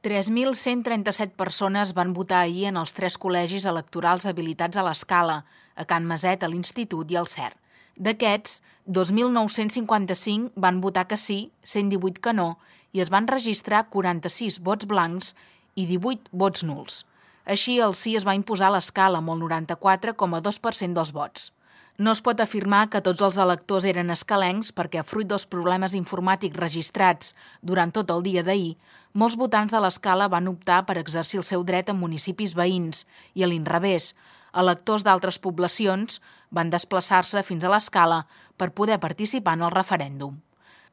3.137 persones van votar ahir en els 3 col·legis electorals habilitats a l'Escala, a Can Maset, a l'Institut i al CER. D'aquests, 2.955 van votar que sí, 118 que no, i es van registrar 46 vots blancs i 18 vots nuls. Així, el sí es va imposar a l'Escala amb el 94,2% dels vots. No es pot afirmar que tots els electors eren escalencs perquè, fruit dels problemes informàtics registrats durant tot el dia d'ahir, molts votants de l'Escala van optar per exercir el seu dret en municipis veïns i, a l'inrevés, electors d'altres poblacions van desplaçar-se fins a l'Escala per poder participar en el referèndum.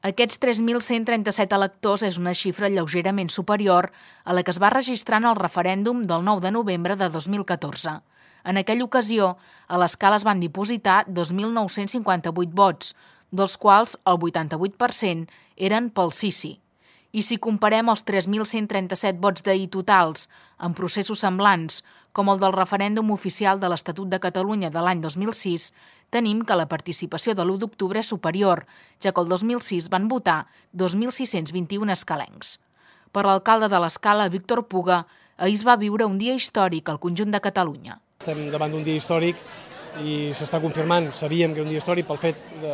Aquests 3.137 electors és una xifra lleugerament superior a la que es va registrar en el referèndum del 9 de novembre de 2014. En aquella ocasió, a l'Escala es van dipositar 2.958 vots, dels quals el 88% eren pel sí. I si comparem els 3.137 vots d'ahir totals en processos semblants, com el del referèndum oficial de l'Estatut de Catalunya de l'any 2006, tenim que la participació de l'1 d'octubre és superior, ja que el 2006 van votar 2.621 escalencs. Per l'alcalde de l'Escala, Víctor Puga, ahir es va viure un dia històric al conjunt de Catalunya. Estem davant d'un dia històric i s'està confirmant, sabíem que era un dia històric pel fet que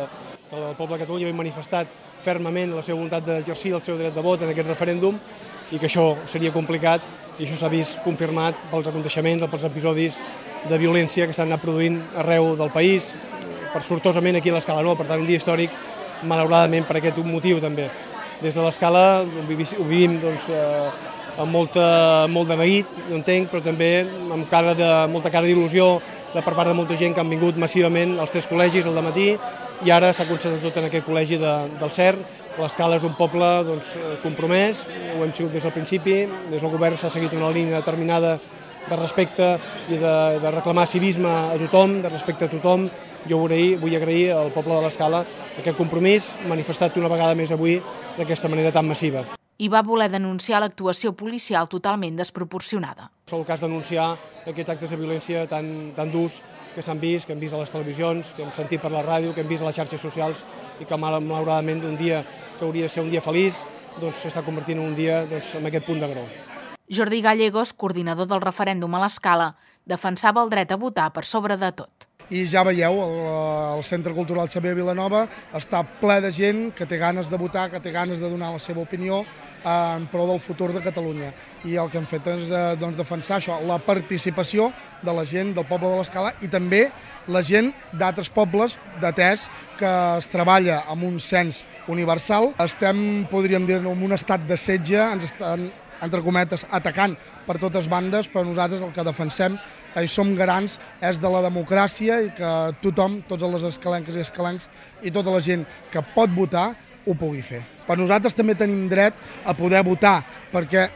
el poble de Catalunya havia manifestat fermament la seva voluntat d'exercir el seu dret de vot en aquest referèndum i que això seria complicat i això s'ha vist confirmat pels aconteixements, pels episodis de violència que s'han anat produint arreu del país, per sortosament aquí a l'Escala no, per tant un dia històric malauradament per aquest motiu també. Des de l'Escala ho vivim amb molt de neguit, ho entenc, però també amb molta cara d'il·lusió per part de molta gent que han vingut massivament als 3 col·legis al dematí i ara s'ha concentrat tot en aquest col·legi del CER. L'Escala és un poble compromès, ho hem sigut des del principi, des del govern s'ha seguit una línia determinada de respecte i de reclamar civisme a tothom, de respecte a tothom. Jo vull agrair al poble de l'Escala aquest compromís manifestat una vegada més avui d'aquesta manera tan massiva. I va voler denunciar l'actuació policial totalment desproporcionada. És el cas denunciar aquests actes de violència tan durs que s'han vist, que hem vist a les televisions, que hem sentit per la ràdio, que hem vist a les xarxes socials i que malauradament un dia que hauria de ser un dia feliç s'està convertint en un dia amb aquest punt d'agror. Jordi Gallegos, coordinador del referèndum a l'Escala, defensava el dret a votar per sobre de tot. I ja veieu, el Centre Cultural Xavier Vilanova està ple de gent que té ganes de votar, que té ganes de donar la seva opinió en pro del futur de Catalunya. I el que hem fet és defensar això, la participació de la gent del poble de l'Escala i també la gent d'altres pobles, atès que es treballa amb un cens universal. Estem, podríem dir, en un estat de setge, ens estan, entre cometes, atacant per totes bandes, però nosaltres el que defensem i som garants és de la democràcia i que tothom, tots les escalenques i escalencs i tota la gent que pot votar ho pugui fer. Per nosaltres també tenim dret a poder votar, perquè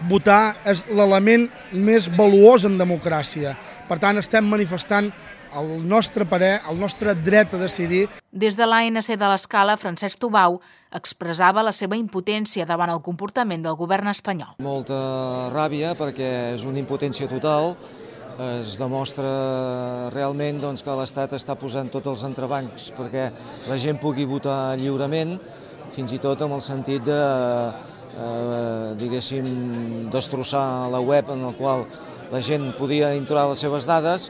votar és l'element més valuós en democràcia. Per tant, estem manifestant el nostre parer, el nostre dret a decidir. Des de l'ANC de l'Escala, Francesc Tubau expressava la seva impotència davant el comportament del govern espanyol. Molta ràbia perquè és una impotència total. Es demostra realment que l'Estat està posant tots els entrebancs perquè la gent pugui votar lliurement, fins i tot amb el sentit de, destrossar la web en la qual la gent podia introduir les seves dades.